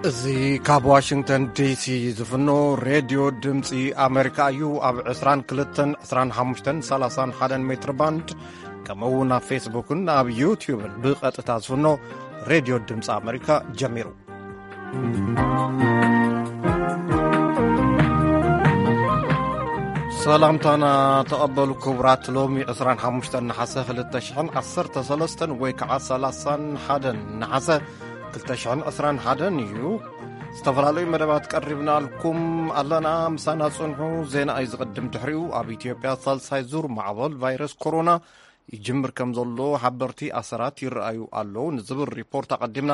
እዚ ካብ ዋሽንግተን ዲሲ ዝፍኖ ሬድዮ ድምፂ ኣሜሪካ እዩ። ኣብ ዕስራን ክልተን፣ ዕስራን ሓሙሽተን፣ ሰላሳን ሓደን ሜትር ባንድ፣ ከምኡ እውን ኣብ ፌስቡክን ኣብ ዩትዩብን ብቐጥታ ዝፍኖ ሬድዮ ድምፂ ኣሜሪካ ጀሚሩ። ሰላምታና ተቐበሉ ክቡራት። ሎሚ ዕስራን ሓሙሽተን ነሓሰ ክልተ ሽሕን ዓሰርተ ሰለስተን ወይ ከዓ ሰላሳን ሓደን ነሓሰ ክልተ ሽሕን ዕስራን ሓደን እዩ። ዝተፈላለዩ መደባት ቀሪብናልኩም ኣለና። ምሳና ጽንሑ። ዜና እዩ ዝቕድም። ድሕሪኡ ኣብ ኢትዮጵያ ሳልሳይ ዙር ማዕበል ቫይረስ ኮሮና ይጅምር ከም ዘሎ ሓበርቲ ኣሰራት ይረኣዩ ኣለዉ ንዝብል ሪፖርት ኣቐዲምና፣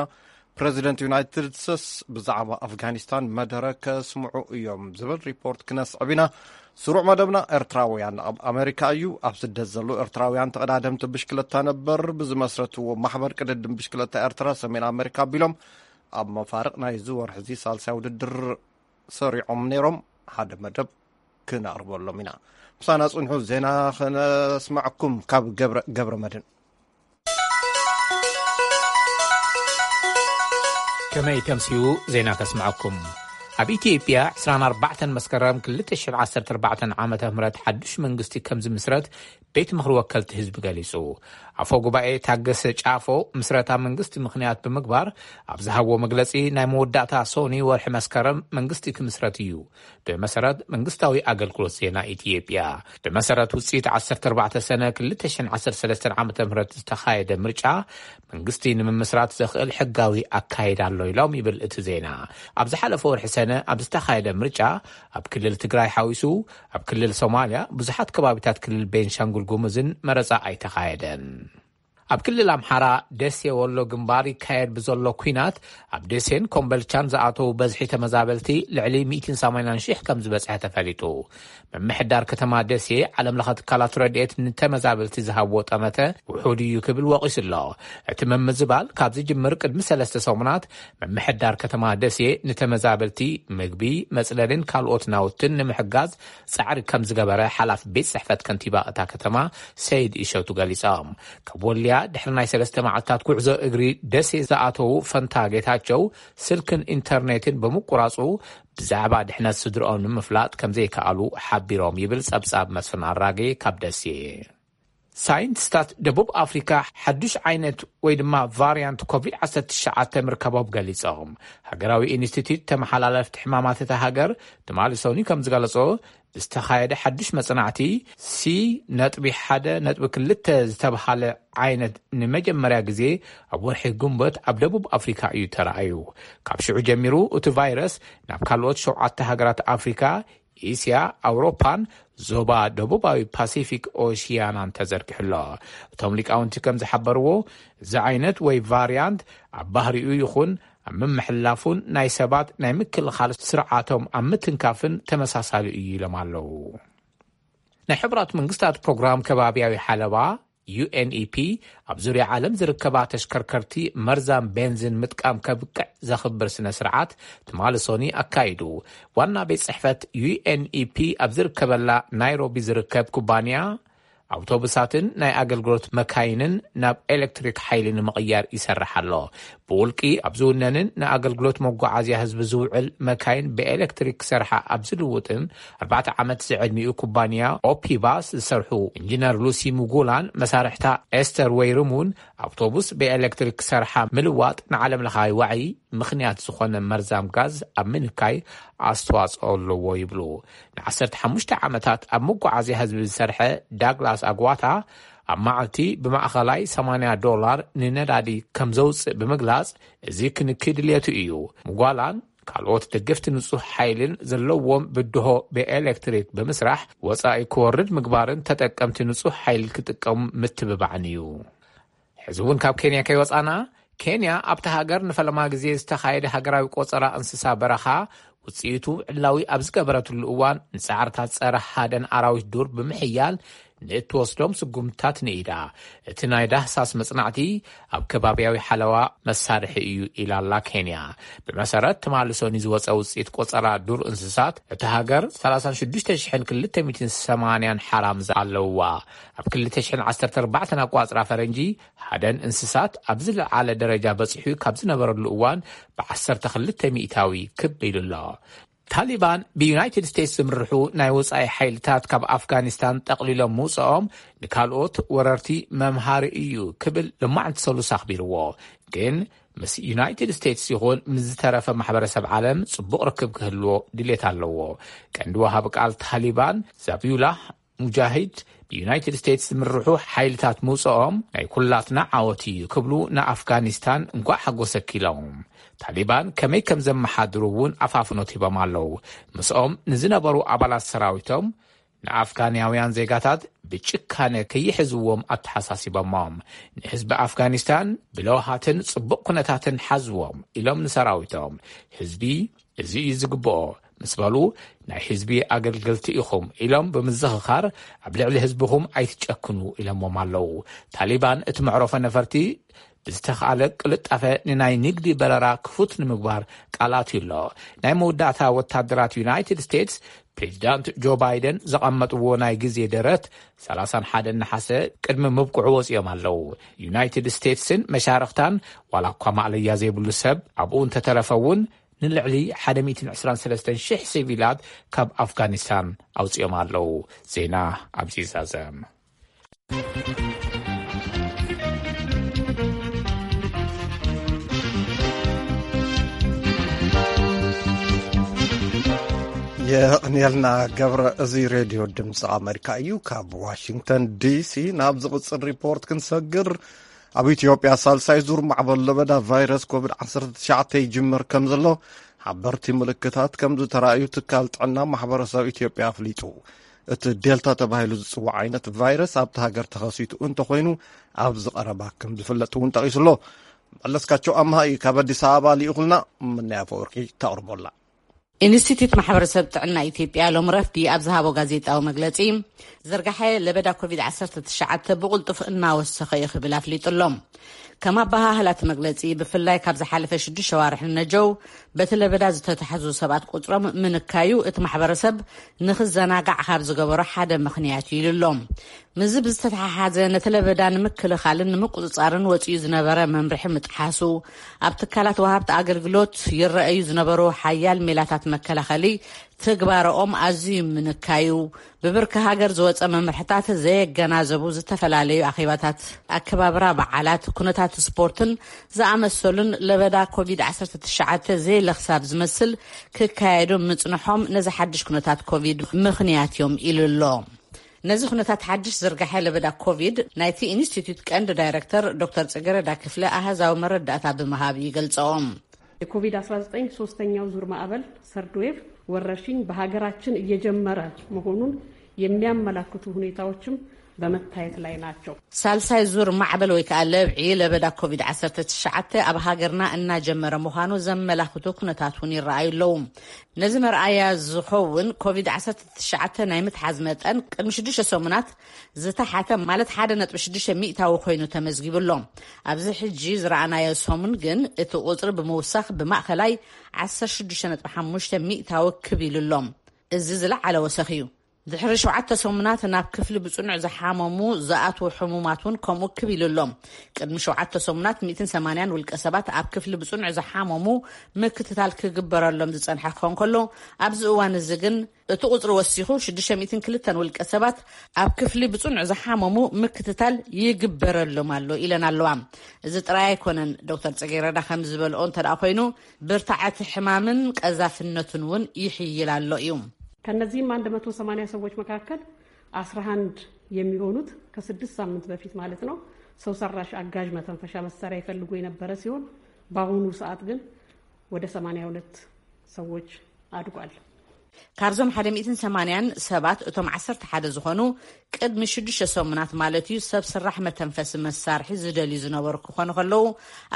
ፕረዚደንት ዩናይትድ ስቴትስ ብዛዕባ ኣፍጋኒስታን መደረ ከስምዑ እዮም ዝብል ሪፖርት ክነስዕብ ኢና። ስሩዕ መደብና ኤርትራውያን ኣብ ኣሜሪካ እዩ። ኣብ ስደት ዘለዉ ኤርትራውያን ተቐዳደምቲ ብሽክለታ ነበር ብዝመስረትዎ ማሕበር ቅድድም ብሽክለታ ኤርትራ ሰሜን ኣሜሪካ ኣቢሎም ኣብ መፋርቕ ናይዚ ወርሒ እዚ ሳልሳይ ውድድር ሰሪዖም ነይሮም። ሓደ መደብ ክነቕርበሎም ኢና። ምሳና ጽንሑ። ዜና ክነስማዕኩም ካብ ገብረ፣ ገብረ መድህን። ከመይ ተምስዩ ዜና ከስምዐኩም። ኣብ ኢትዮጵያ ዕስራን ኣርባዕተን መስከረም ክልተ ሽሕን ዓሰርተ ኣርባዕተን ዓመተ ምህረት ሓዱሽ መንግስቲ ከም ዝምስረት ቤት ምኽሪ ወከልቲ ህዝቢ ገሊጹ። ኣፈ ጉባኤ ታገሰ ጫፎ ምስረታ መንግስቲ ምኽንያት ብምግባር ኣብ ዝሃብዎ መግለጺ፣ ናይ መወዳእታ ሶኒ ወርሒ መስከረም መንግስቲ ክምስረት እዩ። ብመሰረት መንግስታዊ ኣገልግሎት ዜና ኢትዮጵያ፣ ብመሰረት ውጽኢት ዓሰርተ ኣርባዕተ ሰነ ክልተ ሽሕን ዓሰርተ ሰለስተን ዓመተ ምህረት ዝተኻየደ ምርጫ መንግስቲ ንምምስራት ዘኽእል ሕጋዊ ኣካይዳ ኣሎ ኢሎም ይብል እቲ ዜና። ኣብ ዝሓለፈ ወርሒ ሰነ ኣብ ዝተኻየደ ምርጫ ኣብ ክልል ትግራይ ሓዊሱ ኣብ ክልል ሶማልያ ብዙሓት ከባቢታት ክልል ቤንሻንጉል ጉሙዝን መረጻ ኣይተኻየደን። ኣብ ክልል ኣምሓራ ደሴ ወሎ ግንባር ይካየድ ብዘሎ ኲናት ኣብ ደሴን ኮምበልቻን ዝኣተዉ በዝሒ ተመዛበልቲ ልዕሊ ሚእትን ሰማንያን ሺሕ ከም ዝበጽሐ ተፈሊጡ። ምምሕዳር ከተማ ደሴ ዓለም ለኸ ትካላት ረድኤት ንተመዛበልቲ ዝሃብዎ ጠመተ ውሑድ እዩ ክብል ወቒሱ ኣሎ። እቲ ምምዝባል ካብ ዝጅምር ቅድሚ ሰለስተ ሰሙናት ምምሕዳር ከተማ ደሴ ንተመዛበልቲ ምግቢ፣ መጽለልን ካልኦት ናውትን ንምሕጋዝ ጻዕሪ ከም ዝገበረ ሓላፊ ቤት ጽሕፈት ከንቲባ እታ ከተማ ሰይድ እሸቱ ገሊጾም። ካብ ወልያ ድሕሪ ናይ ሰለስተ መዓልታት ጉዕዞ እግሪ ደሴ ዝኣተዉ ፈንታ ጌታቸው ስልክን ኢንተርኔትን ብምቁራጹ ብዛዕባ ድሕነት ስድርኦም ንምፍላጥ ከም ዘይከኣሉ ሓቢሮም ይብል ጸብጻብ መስፍን ኣራጌ ካብ ደሴ። ሳይንቲስታት ደቡብ ኣፍሪካ ሓዱሽ ዓይነት ወይ ድማ ቫርያንት ኮቪድ ዓሰርተ ትሽዓተ ምርካቦም ገሊጾም። ሃገራዊ ኢንስቲትዩት ተመሓላለፍቲ ሕማማት እታ ሃገር ትማሊ ሰኑይ ከም ዝገለጾ፣ ዝተኻየደ ሓዱሽ መጽናዕቲ ሲ ነጥቢ ሓደ ነጥቢ ክልተ ዝተብሃለ ዓይነት ንመጀመርያ ግዜ ኣብ ወርሒ ግንቦት ኣብ ደቡብ ኣፍሪካ እዩ ተራእዩ። ካብ ሽዑ ጀሚሩ እቲ ቫይረስ ናብ ካልኦት ሸውዓተ ሃገራት ኣፍሪካ፣ እስያ፣ ኣውሮፓን ዞባ ደቡባዊ ፓሲፊክ ኦሽያናን ተዘርጊሑ ኣሎ። እቶም ሊቃውንቲ ከም ዝሓበርዎ፣ እዚ ዓይነት ወይ ቫርያንት ኣብ ባህሪኡ ይኹን ኣብ ምምሕላፉን ናይ ሰባት ናይ ምክልኻል ስርዓቶም ኣብ ምትንካፍን ተመሳሳሊ እዩ ኢሎም ኣለዉ። ናይ ሕቡራት መንግስታት ፕሮግራም ከባብያዊ ሓለዋ፣ ዩ ኤን ኢ ፒ፣ ኣብ ዙርያ ዓለም ዝርከባ ተሽከርከርቲ መርዛም ቤንዚን ምጥቃም ከብቅዕ ዘኽብር ስነ ስርዓት ትማሊ ሶኒ ኣካይዱ። ዋና ቤት ጽሕፈት ዩ ኤን ኢ ፒ ኣብ ዝርከበላ ናይሮቢ ዝርከብ ኩባንያ ኣውቶቡሳትን ናይ ኣገልግሎት መካይንን ናብ ኤሌክትሪክ ሓይሊ ንምቕያር ይሰርሕ ኣሎ። ብውልቂ ኣብ ዝውነንን ንኣገልግሎት መጓዓዝያ ህዝቢ ዝውዕል መካይን ብኤሌክትሪክ ክሰርሓ ኣብ ዝልውጥን ኣርባዕተ ዓመት ዝዕድሚኡ ኩባንያ ኦፒባስ ዝሰርሑ ኢንጂነር ሉሲ ሙጉላን መሳርሕታ ኤስተር ወይርም እውን ኣውቶቡስ ብኤሌክትሪክ ክሰርሓ ምልዋጥ ንዓለም ለኻዊ ዋዒ ምኽንያት ዝኾነ መርዛም ጋዝ ኣብ ምንካይ ኣስተዋጽኦ ኣለዎ ይብሉ። ን15 ዓመታት ኣብ መጓዓዝያ ህዝቢ ዝሰርሐ ዳግላስ ኣግዋታ ኣብ መዓልቲ ብማእኸላይ ሰማንያ ዶላር ንነዳዲ ከም ዘውፅእ ብምግላፅ፣ እዚ ክንኪ ድልየቱ እዩ። ምጓላን ካልኦት ደገፍቲ ንጹህ ሓይልን ዘለዎም ብድሆ ብኤሌክትሪክ ብምስራሕ ወጻኢ ክወርድ ምግባርን ተጠቀምቲ ንጹህ ሓይሊ ክጥቀሙ ምትብባዕን እዩ። ሕዚ እውን ካብ ኬንያ ከይወጻና፣ ኬንያ ኣብታ ሃገር ንፈለማ ግዜ ዝተኻየደ ሃገራዊ ቆጸራ እንስሳ በረኻ ውጽኢቱ ዕላዊ ኣብ ዝገበረትሉ እዋን፣ ንጻዕርታት ጸረ ሃደን ኣራዊት ዱር ብምሕያል ንእትወስዶም ስጉምትታት ንኢዳ። እቲ ናይ ዳህሳስ መጽናዕቲ ኣብ ከባብያዊ ሓለዋ መሳርሒ እዩ ኢላ ኣላ ኬንያ። ብመሰረት ትማሊ ሰኑይ ዝወጸ ውጽኢት ቆጸራ ዱር እንስሳት፣ እቲ ሃገር ሰላሳ ሽዱሽተ ሽሕን ክልተ ሚእትን ሰማንያን ሓራምዝ ኣለውዋ። ኣብ ክልተ ሽሕን ዓሰርተ ኣርባዕተን ኣቋጽራ ፈረንጂ፣ ሓደን እንስሳት ኣብ ዝለዓለ ደረጃ በጺሑ ካብ ዝነበረሉ እዋን ብዓሰርተ ክልተ ሚእታዊ ክብ ኢሉ ኣሎ። ታሊባን ብዩናይትድ ስቴትስ ዝምርሑ ናይ ወጻኢ ሓይልታት ካብ ኣፍጋኒስታን ጠቕሊሎም ምውጽኦም ንካልኦት ወረርቲ መምሃሪ እዩ ክብል ሎማዕንቲ ሰሉስ ኣኽቢርዎ። ግን ምስ ዩናይትድ ስቴትስ ይኹን ምስ ዝተረፈ ማሕበረሰብ ዓለም ጽቡቕ ርክብ ክህልዎ ድሌት ኣለዎ። ቀንዲ ወሃቢ ቃል ታሊባን ዛቢዩላህ ሙጃሂድ ብዩናይትድ ስቴትስ ዝምርሑ ሓይልታት ምውጽኦም ናይ ኩላትና ዓወት እዩ ክብሉ ንኣፍጋኒስታን እንኳዕ ሓጎሰኪ ኢሎም። ታሊባን ከመይ ከም ዘመሓድሩ እውን ኣፋፍኖት ሂቦም ኣለዉ። ምስኦም ንዝነበሩ ኣባላት ሰራዊቶም ንኣፍጋናውያን ዜጋታት ብጭካነ ከይሕዝዎም ኣተሓሳሲቦሞም። ንህዝቢ ኣፍጋኒስታን ብለውሃትን ጽቡቕ ኩነታትን ሓዝዎም ኢሎም ንሰራዊቶም። ህዝቢ እዚ እዩ ዝግብኦ ምስ በሉ፣ ናይ ህዝቢ ኣገልገልቲ ኢኹም ኢሎም ብምዝኽኻር ኣብ ልዕሊ ህዝብኹም ኣይትጨክኑ ኢሎሞም ኣለዉ። ታሊባን እቲ መዕረፎ ነፈርቲ ብዝተኻለ ቅልጣፈ ንናይ ንግዲ በረራ ክፉት ንምግባር ቃል ኣትዩ ኣሎ። ናይ መወዳእታ ወታደራት ዩናይትድ ስቴትስ ፕሬዚዳንት ጆ ባይደን ዘቐመጥዎ ናይ ግዜ ደረት ሰላሳን ሓደን ነሓሰ ቅድሚ ምብቅዑ ወፂኦም ኣለዉ። ዩናይትድ ስቴትስን መሻርኽታን ዋላ እኳ ማእለያ ዘይብሉ ሰብ ኣብኡ እንተተረፈ እውን ንልዕሊ ሓደ ሚእትን ዕስራን ሰለስተን ሽሕ ሲቪላት ካብ ኣፍጋኒስታን ኣውፂኦም ኣለዉ። ዜና ኣብዚ ይዛዘም። የቕንየልና ገብረ። እዚ ሬድዮ ድምፂ ኣሜሪካ እዩ። ካብ ዋሽንግተን ዲሲ ናብ ዝቕፅል ሪፖርት ክንሰግር፣ ኣብ ኢትዮጵያ ሳልሳይ ዙር ማዕበል ለበዳ ቫይረስ ኮቪድ ዓሰርተ ትሽዓተ ይጅምር ከም ዘሎ ሓበርቲ ምልክታት ከም ዝተራእዩ ትካል ጥዕና ማሕበረሰብ ኢትዮጵያ ኣፍሊጡ። እቲ ዴልታ ተባሂሉ ዝፅዋዕ ዓይነት ቫይረስ ኣብቲ ሃገር ተኸሲቱ እንተኾይኑ ኣብዚ ቀረባ ከም ዝፍለጥ እውን ጠቒሱ ኣሎ። መለስካቸው ኣምሃ እዩ ካብ ኣዲስ ኣበባ ልኢኹልና። ምናይ ኣፈወርቂ ተቕርቦላ። ኢንስቲትዩት ማሕበረሰብ ጥዕና ኢትዮጵያ ሎም ረፍዲ ኣብ ዝሃቦ ጋዜጣዊ መግለፂ፣ ዝርጋሐ ለበዳ ኮቪድ ዓሰርተ ትሽዓተ ብቕልጡፍ እናወሰኸ እዩ ክብል ኣፍሊጡ ኣሎ። ከም ኣበሃህላ እቲ መግለፂ፣ ብፍላይ ካብ ዝሓለፈ ሽዱሽተ ሸዋርሕ ንነጀው በቲ ለበዳ ዝተታሕዙ ሰባት ቁፅሮም ምንካዩ እቲ ማሕበረሰብ ንክዘናጋዕ ካብ ዝገበሮ ሓደ ምኽንያት እዩ ኢሉ ኣሎ። ምስዚ ብዝተተሓሓዘ ነቲ ለበዳ ንምክልኻልን ንምቁፅፃርን ወፂኡ ዝነበረ መምርሒ ምጥሓሱ፣ ኣብ ትካላት ወሃብቲ ኣገልግሎት ይረኣዩ ዝነበሩ ሓያል ሜላታት መከላኸሊ ትግባረኦም ኣዝዩ ምንካዩ፣ ብብርኪ ሃገር ዝወፀ መምርሕታት ዘየገናዘቡ ዝተፈላለዩ ኣኼባታት፣ ኣከባብራ በዓላት፣ ኩነታት ስፖርትን ዝኣመሰሉን ለበዳ ኮቪድ ዓሰርተ ትሽዓተ ዘይለኽሳብ ዝመስል ክካየዱ ምፅንሖም ነዚ ሓድሽ ኩነታት ኮቪድ ምኽንያት እዮም ኢሉ ኣሎ። ነዚ ኩነታት ሓድሽ ዝርጋሐ ለበዳ ኮቪድ ናይቲ ኢንስቲትዩት ቀንዲ ዳይረክተር ዶክተር ጽገረዳ ክፍለ ኣሃዛዊ መረዳእታ ብምሃብ ይገልጸኦም። የኮቪድ አስራ ዘጠኝ ሶስተኛው ዙር ማዕበል፣ ሰርድ ዌቭ፣ ወረርሽኝ በሀገራችን እየጀመረ መሆኑን የሚያመላክቱ ሁኔታዎችም በመታየት ላይ ናቸው። ሳልሳይ ዙር ማዕበል ወይ ከዓ ለብዒ ለበዳ ኮቪድ ዓሰርተ ትሽዓተ ኣብ ሃገርና እናጀመረ ምዃኑ ዘመላኽቱ ኩነታት እውን ይረኣዩ ኣለዉ። ነዚ መርኣያ ዝኸውን ኮቪድ ዓሰርተ ትሽዓተ ናይ ምትሓዝ መጠን ቅድሚ ሽዱሽተ ሰሙናት ዝተሓተ ማለት ሓደ ነጥቢ ሽዱሽተ ሚእታዊ ኮይኑ ተመዝጊቡ ኣሎ። ኣብዚ ሕጂ ዝረኣናዮ ሰሙን ግን እቲ ቁፅሪ ብምውሳኽ ብማእኸላይ ዓሰርተ ሽዱሽተ ነጥቢ ሓሙሽተ ሚእታዊ ክብ ኢሉ ኣሎ። እዚ ዝለዓለ ወሰኽ እዩ። ድሕሪ ሸውዓተ ሰሙናት ናብ ክፍሊ ብጽኑዕ ዝሓመሙ ዝኣትዉ ሕሙማት እውን ከምኡ ክብ ኢሉ ኣሎ። ቅድሚ ሸውዓተ ሰሙናት ሚእትን ሰማንያን ውልቀ ሰባት ኣብ ክፍሊ ብጽኑዕ ዝሓመሙ ምክትታል ክግበረሎም ዝጸንሐ ክኸውን ከሎ፣ ኣብዚ እዋን እዚ ግን እቲ ቁጽሪ ወሲኹ ሽዱሽተ ሚእትን ክልተን ውልቀ ሰባት ኣብ ክፍሊ ብጽኑዕ ዝሓመሙ ምክትታል ይግበረሎም ኣሎ ኢለን ኣለዋ። እዚ ጥራይ ኣይኮነን፣ ዶክተር ጽጌረዳ ከም ዝበልኦ እንተ ደኣ ኮይኑ፣ ብርታዐ እቲ ሕማምን ቀዛፍነቱን እውን ይሕይል ኣሎ እዩ። ከነዚህም አንድ መቶ ሰማንያ ሰዎች መካከል አስራ አንድ የሚሆኑት ከስድስት ሳምንት በፊት ማለት ነው ሰው ሰራሽ አጋዥ መተንፈሻ መሳሪያ ይፈልጉ የነበረ ሲሆን በአሁኑ ሰዓት ግን ወደ ሰማንያ ሁለት ሰዎች አድጓል። ካብዞም ሓደ ሚእትን ሰማንያን ሰባት እቶም ዓሰርተ ሓደ ዝኾኑ ቅድሚ ሽዱሽተ ሰሙናት ማለት እዩ ሰብ ስራሕ መተንፈሲ መሳርሒ ዝደልዩ ዝነበሩ ክኾኑ ከለዉ፣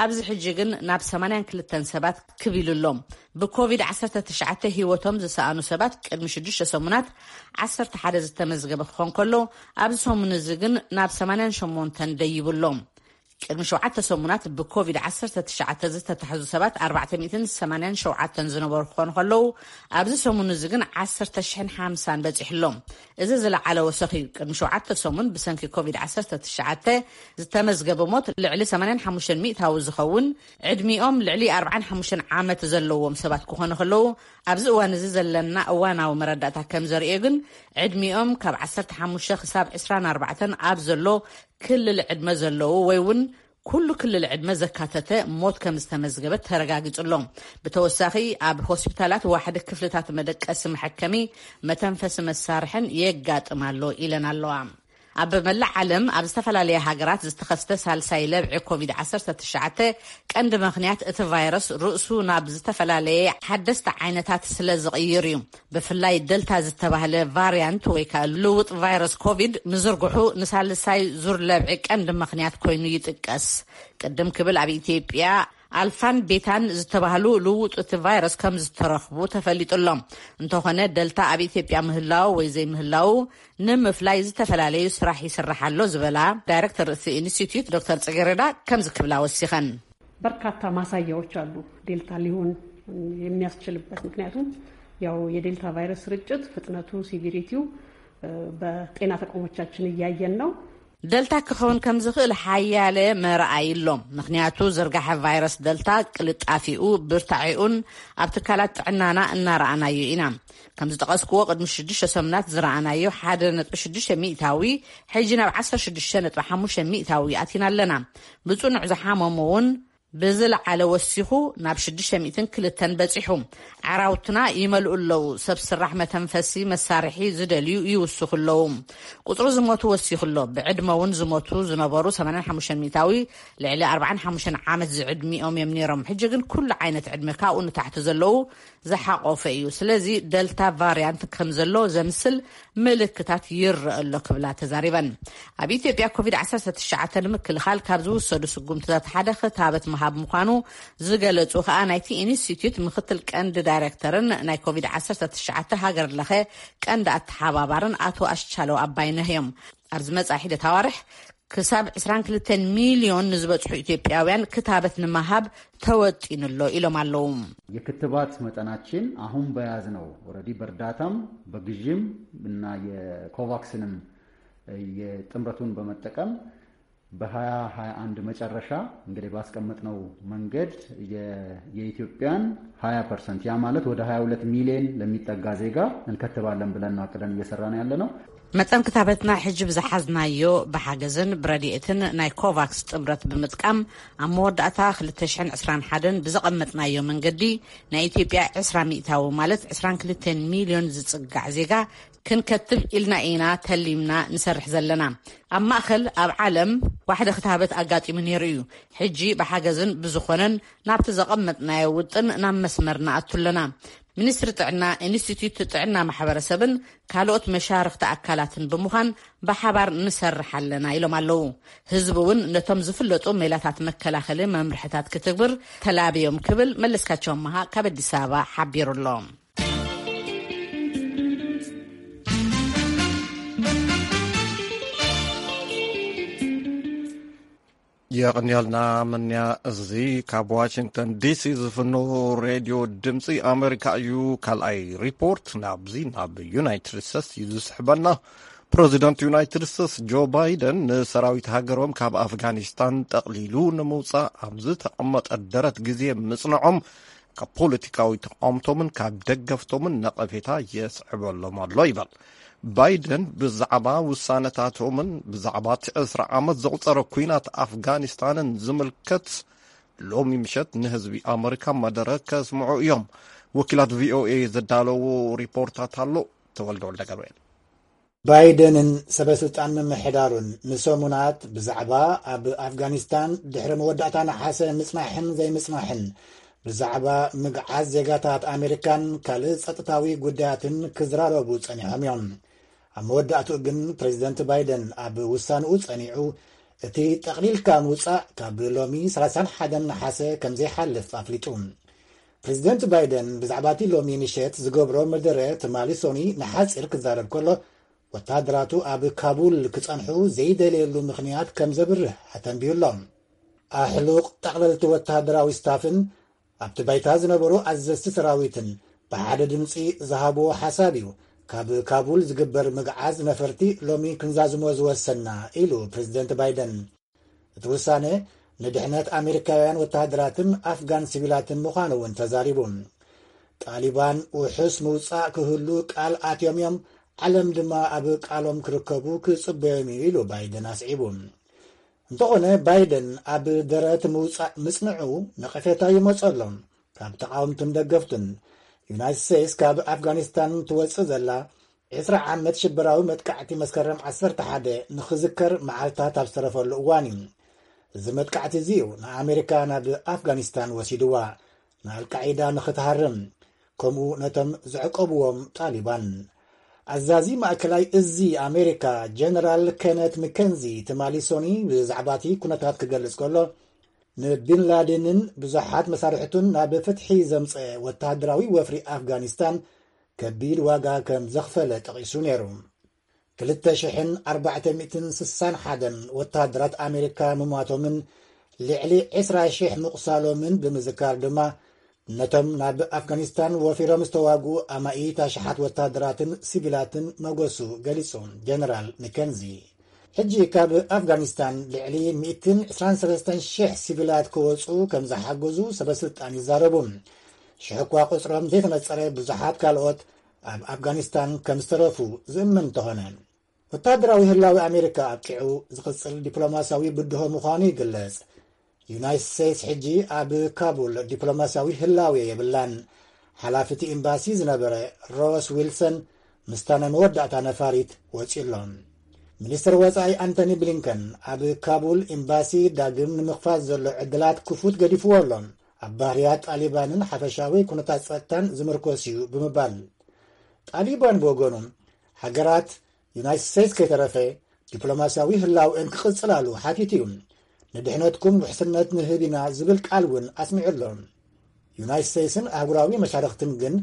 ኣብዚ ሕጂ ግን ናብ ሰማንያን ክልተን ሰባት ክብ ኢሉ ኣሎ። ብኮቪድ ዓሰርተ ትሽዓተ ህይወቶም ዝሰኣኑ ሰባት ቅድሚ ሽዱሽተ ሰሙናት ዓሰርተ ሓደ ዝተመዝገበ ክኾን ከሎ፣ ኣብዚ ሰሙን እዚ ግን ናብ ሰማንያን ሸሞንተን ደይቡ ኣሎ። ቅድሚ ሸውዓተ ሰሙናት ብኮቪድ ዓሰርተ ትሽዓተ ዝተታሕዙ ሰባት ኣርባዕተ ሚእትን ሰማንያን ሸውዓተን ዝነበሩ ክኾኑ ከለዉ፣ ኣብዚ ሰሙን እዚ ግን ዓሰርተ ሽሕን ሓምሳን በፂሑ ኣሎ። እዚ ዝለዓለ ወሰኽ እዩ። ቅድሚ ሸውዓተ ሰሙን ብሰንኪ ኮቪድ ዓሰርተ ትሽዓተ ዝተመዝገበ ሞት ልዕሊ ሰማንያን ሓሙሽተን ሚእታዊ ዝኸውን፣ ዕድሚኦም ልዕሊ ኣርባዓን ሓሙሽተን ዓመት ዘለዎም ሰባት ክኾኑ ከለዉ፣ ኣብዚ እዋን እዚ ዘለና እዋናዊ መረዳእታ ከም ዘርእዮ ግን፣ ዕድሚኦም ካብ ዓሰርተ ሓሙሽተ ክሳብ ዕስራን ኣርባዕተን ኣብ ዘሎ ክልል ዕድመ ዘለዉ ወይ እውን ኩሉ ክልል ዕድመ ዘካተተ ሞት ከም ዝተመዝገበ ተረጋጊጹ ኣሎ። ብተወሳኺ፣ ኣብ ሆስፒታላት ዋሕዲ ክፍልታት መደቀሲ መሐከሚ መተንፈሲ መሳርሕን የጋጥም ኣሎ ኢለን ኣለዋ። ኣብ መላእ ዓለም ኣብ ዝተፈላለየ ሃገራት ዝተኸስተ ሳልሳይ ለብዒ ኮቪድ ዓሰርተ ትሽዓተ ቀንዲ ምኽንያት እቲ ቫይረስ ርእሱ ናብ ዝተፈላለየ ሓደስቲ ዓይነታት ስለ ዝቕይር እዩ። ብፍላይ ደልታ ዝተባህለ ቫርያንት ወይ ከኣ ልውጥ ቫይረስ ኮቪድ ምዝርግሑ ንሳልሳይ ዙር ለብዒ ቀንዲ ምኽንያት ኮይኑ ይጥቀስ። ቅድም ክብል ኣብ ኢትዮጵያ ኣልፋን ቤታን ዝተባህሉ ልውጥ እቲ ቫይረስ ከም ዝተረኽቡ ተፈሊጡ ኣሎ። እንተኾነ ደልታ ኣብ ኢትዮጵያ ምህላው ወይ ዘይምህላው ንምፍላይ ዝተፈላለዩ ስራሕ ይስራሕ ኣሎ ዝበላ ዳይሬክተር እቲ ኢንስቲትዩት ዶክተር ጽጌረዳ ከምዚ ክብላ ወሲኸን። በርካታ ማሳያዎች አሉ ዴልታ ሊሆን የሚያስችልበት። ምክንያቱም ያው የዴልታ ቫይረስ ስርጭት ፍጥነቱ፣ ሲቪሪቲው በጤና ተቋሞቻችን እያየን ነው። ደልታ ክኸውን ከም ዝኽእል ሓያለ መርኣይ ኣሎ። ምኽንያቱ ዝርጋሐ ቫይረስ ደልታ ቅልጣፊኡ፣ ብርታዒኡን ኣብ ትካላት ጥዕናና እናረኣናዮ ኢና። ከም ዝጠቐስክዎ ቅድሚ ሽዱሽተ ሰሙናት ዝረኣናዮ ሓደ ነጥቢ ሽዱሽተ ሚእታዊ ሕጂ ናብ ዓሰርተ ሽዱሽተ ነጥቢ ሓሙሽተ ሚእታዊ ኣቲና ኣለና። ብጽኑዕ ዝሓመሙ እውን ብዝለዓለ ወሲኹ ናብ ሽዱሽተ ሚእትን ክልተን በጺሑ። ዓራውትና ይመልኡ ኣለዉ። ሰብ ስራሕ መተንፈሲ መሳርሒ ዝደልዩ ይውስኹ ኣለዉ። ቁጽሪ ዝሞቱ ወሲኹ ኣሎ። ብዕድመ እውን ዝሞቱ ዝነበሩ ሰማንያን ሓሙሽተን ሚእታዊ ልዕሊ ኣርባዓን ሓሙሽተን ዓመት ዝዕድሚኦም እዮም ነይሮም። ሕጂ ግን ኩሉ ዓይነት ዕድመ ካብኡ ንታሕቲ ዘለዉ ዝሓቆፈ እዩ። ስለዚ ደልታ ቫርያንት ከም ዘሎ ዘምስል ምልክታት ይረአ ኣሎ ክብላ ተዛሪበን። ኣብ ኢትዮጵያ ኮቪድ ዓሰርተ ትሽዓተ ንምክልኻል ካብ ዝውሰዱ ስጉምትታት ሓደ ክታበት ምሃብ ምዃኑ ዝገለጹ ከኣ ናይቲ ኢንስቲትዩት ምክትል ቀንዲ ዳይሬክተርን ናይ ኮቪድ ዓሰርተ ትሽዓተ ሃገር ለኸ ቀንዲ ኣተሓባባርን ኣቶ ኣሽቻለው ኣባይነህ እዮም። ኣብ ዝመጽእ ሒደት ኣዋርሕ ክሳብ ዕስራን ክልተን ሚልዮን ንዝበጽሑ ኢትዮጵያውያን ክታበት ንምሃብ ተወጢኑ ኣሎ ኢሎም ኣለዉ። የክትባት መጠናችን አሁን በያዝነው ኦልሬዲ በእርዳታም በግዥም እና የኮቫክስንም የጥምረቱን በመጠቀም በ2021 መጨረሻ እንግዲህ ባስቀመጥነው መንገድ የኢትዮጵያን ሃያ ፐርሰንት፣ ያ ማለት ወደ ሃያ ሁለት ሚሊዮን ለሚጠጋ ዜጋ እንከትባለን ብለን አቅደን እየሰራን ያለ ነው። መጠን ክታበትና ሕጂ ብዝሓዝናዮ ብሓገዝን ብረድኤትን ናይ ኮቫክስ ጥምረት ብምጥቃም ኣብ መወዳእታ ክልተ ሽሕን ዕስራን ሓደን ብዘቐመጥናዮ መንገዲ ናይ ኢትዮጵያ ዕስራ ሚእታዊ ማለት ዕስራን ክልተን ሚልዮን ዝጽጋዕ ዜጋ ክንከትብ ኢልና ኢና ተሊምና ንሰርሕ ዘለና። ኣብ ማእኸል ኣብ ዓለም ዋሕደ ክታበት ኣጋጢሙ ነይሩ እዩ። ሕጂ ብሓገዝን ብዝኾነን ናብቲ ዘቐመጥናዮ ውጥን ናብ መስመር ንኣቱ ኣለና። ሚኒስትሪ ጥዕና፣ ኢንስቲትዩት ጥዕና ማሕበረሰብን ካልኦት መሻርኽቲ ኣካላትን ብምዃን ብሓባር ንሰርሕ ኣለና ኢሎም ኣለዉ። ህዝቢ እውን ነቶም ዝፍለጡ ሜላታት መከላኸሊ መምርሕታት ክትግብር ተላብዮም ክብል መለስካቸው ኣመሃ ካብ ኣዲስ ኣበባ ሓቢሩ ኣሎ። የቐንያልና መንያ። እዚ ካብ ዋሽንግተን ዲሲ ዝፍኖ ሬድዮ ድምፂ ኣሜሪካ እዩ። ካልኣይ ሪፖርት ናብዚ ናብ ዩናይትድ ስቴትስ እዩ ዝስሕበና። ፕሬዚደንት ዩናይትድ ስቴትስ ጆ ባይደን ንሰራዊት ሃገሮም ካብ ኣፍጋኒስታን ጠቕሊሉ ንምውፃእ ኣብ ዝተቐመጠ ደረት ግዜ ምፅንዖም ካብ ፖለቲካዊ ተቃውምቶምን ካብ ደገፍቶምን ነቐፌታ የስዕበሎም ኣሎ ይበል። ባይደን ብዛዕባ ውሳነታቶምን ብዛዕባ እቲ ዕስራ ዓመት ዘቑጸረ ኲናት ኣፍጋኒስታንን ዝምልከት ሎሚ ምሸት ንህዝቢ ኣመሪካ መደረ ከስምዑ እዮም። ወኪላት ቪኦኤ ዘዳለዎ ሪፖርታት ኣሎ። ተወልደ ወልደ ገብርኤል። ባይደንን ሰበ ስልጣን ምምሕዳሩን ንሰሙናት ብዛዕባ ኣብ ኣፍጋኒስታን ድሕሪ መወዳእታ ነሓሰ ምጽናሕን ዘይምጽናሕን ብዛዕባ ምግዓዝ ዜጋታት ኣሜሪካን ካልእ ጸጥታዊ ጉዳያትን ክዝራረቡ ጸኒሖም እዮም። ኣብ መወዳእትኡ ግን ፕሬዚደንት ባይደን ኣብ ውሳንኡ ጸኒዑ፣ እቲ ጠቕሊልካ ምውጻእ ካብ ሎሚ ሰላሳን ሓደን ነሓሰ ከም ዘይሓልፍ ኣፍሊጡ። ፕሬዚደንት ባይደን ብዛዕባ እቲ ሎሚ ምሸት ዝገብሮ መደረ ትማሊ ሶኒ ንሓጺር ክዛረብ ከሎ፣ ወተሃደራቱ ኣብ ካቡል ክጸንሑ ዘይደለየሉ ምኽንያት ከም ዘብርህ ኣተንቢዩሎም። ኣሕሉቕ ጠቕለልቲ ወተሃደራዊ ስታፍን ኣብቲ ባይታ ዝነበሩ ኣዘዝቲ ሰራዊትን ብሓደ ድምጺ ዝሃብዎ ሓሳብ እዩ፣ ካብ ካቡል ዝግበር ምግዓዝ ነፈርቲ ሎሚ ክንዛዝሞ ዝወሰና፣ ኢሉ ፕሬዚደንት ባይደን። እቲ ውሳነ ንድሕነት ኣሜሪካውያን ወተሃደራትን ኣፍጋን ሲቪላትን ምዃኑ እውን ተዛሪቡ። ጣሊባን ውሑስ ምውጻእ ክህሉ ቃል ኣትዮም እዮም፣ ዓለም ድማ ኣብ ቃሎም ክርከቡ ክጽበዮም እዩ፣ ኢሉ ባይደን ኣስዒቡ። እንተኾነ፣ ባይደን ኣብ ደረት ምውጻእ ምጽንዑ ነቐፌታ ይመጸሎም ካብ ተቓወምትን ደገፍትን። ዩናይትድ ስቴትስ ካብ ኣፍጋኒስታን ትወጽእ ዘላ ዕስራ ዓመት ሽበራዊ መጥቃዕቲ መስከረም ዓሰርተ ሓደ ንኽዝከር መዓልታት ኣብ ዝተረፈሉ እዋን እዩ። እዚ መጥቃዕቲ እዚ እዩ ንኣሜሪካ ናብ ኣፍጋኒስታን ወሲድዋ፣ ንኣልቃዒዳ ንኽትሃርም፣ ከምኡ ነቶም ዘዕቀብዎም ጣሊባን። ኣዛዚ ማእከላይ እዚ ኣሜሪካ ጀነራል ኬነት ምከንዚ ትማሊ ሶኒ ብዛዕባ እቲ ኩነታት ክገልጽ ከሎ፣ ንቢን ላደንን ብዙሓት መሳርሕቱን ናብ ፍትሒ ዘምጸ ወተሃደራዊ ወፍሪ ኣፍጋኒስታን ከቢድ ዋጋ ከም ዘኽፈለ ጠቒሱ ነይሩ። ክልተ ሽሕን ኣርባዕተ ሚእትን ስሳን ሓደን ወተሃደራት ኣሜሪካ ምሟቶምን ልዕሊ ዕስራ ሽሕ ምቑሳሎምን ብምዝካር ድማ፣ ነቶም ናብ ኣፍጋኒስታን ወፊሮም ዝተዋግኡ ኣማኢት ኣሽሓት ወተሃደራትን ሲቪላትን መጎሱ ገሊጹ ጀነራል ሚከንዚ። ሕጂ ካብ ኣፍጋኒስታን ልዕሊ ሚእትን ዕስራን ሰለስተን ሽሕ ሲቪላት ክወጹ ከም ዝሓገዙ ሰበስልጣን ይዛረቡ። ሽሕ እኳ ቁጽሮም ዘይተነጸረ ብዙሓት ካልኦት ኣብ ኣፍጋኒስታን ከም ዝተረፉ ዝእመን እንተኾነ፣ ወተሃደራዊ ህላዊ ኣሜሪካ ኣብቂዑ ዝቕጽል ዲፕሎማስያዊ ብድሆ ምዃኑ ይግለጽ። ዩናይትድ ስቴትስ ሕጂ ኣብ ካቡል ዲፕሎማስያዊ ህላዌ የብላን። ሓላፊ እቲ ኤምባሲ ዝነበረ ሮስ ዊልሰን ምስታ ናይ መወዳእታ ነፋሪት ወጺኡ ኣሎ። ሚኒስትር ወጻኢ ኣንቶኒ ብሊንከን ኣብ ካቡል ኤምባሲ ዳግም ንምኽፋት ዘሎ ዕድላት ክፉት ገዲፍዎ ኣሎ። ኣብ ባህርያት ጣሊባንን ሓፈሻዊ ኩነታት ጸጥታን ዝምርኮስ እዩ ብምባል፣ ጣሊባን ብወገኑ፣ ሃገራት ዩናይትድ ስቴትስ ከይተረፈ ዲፕሎማስያዊ ህላውኤን ክቕጽላሉ ሓቲቱ እዩ። ንድሕነትኩም ውሕስነት ንህብ ኢና ዝብል ቃል እውን ኣስሚዑ ኣሎ። ዩናይትድ ስቴትስን ኣህጉራዊ መሻርኽትን ግን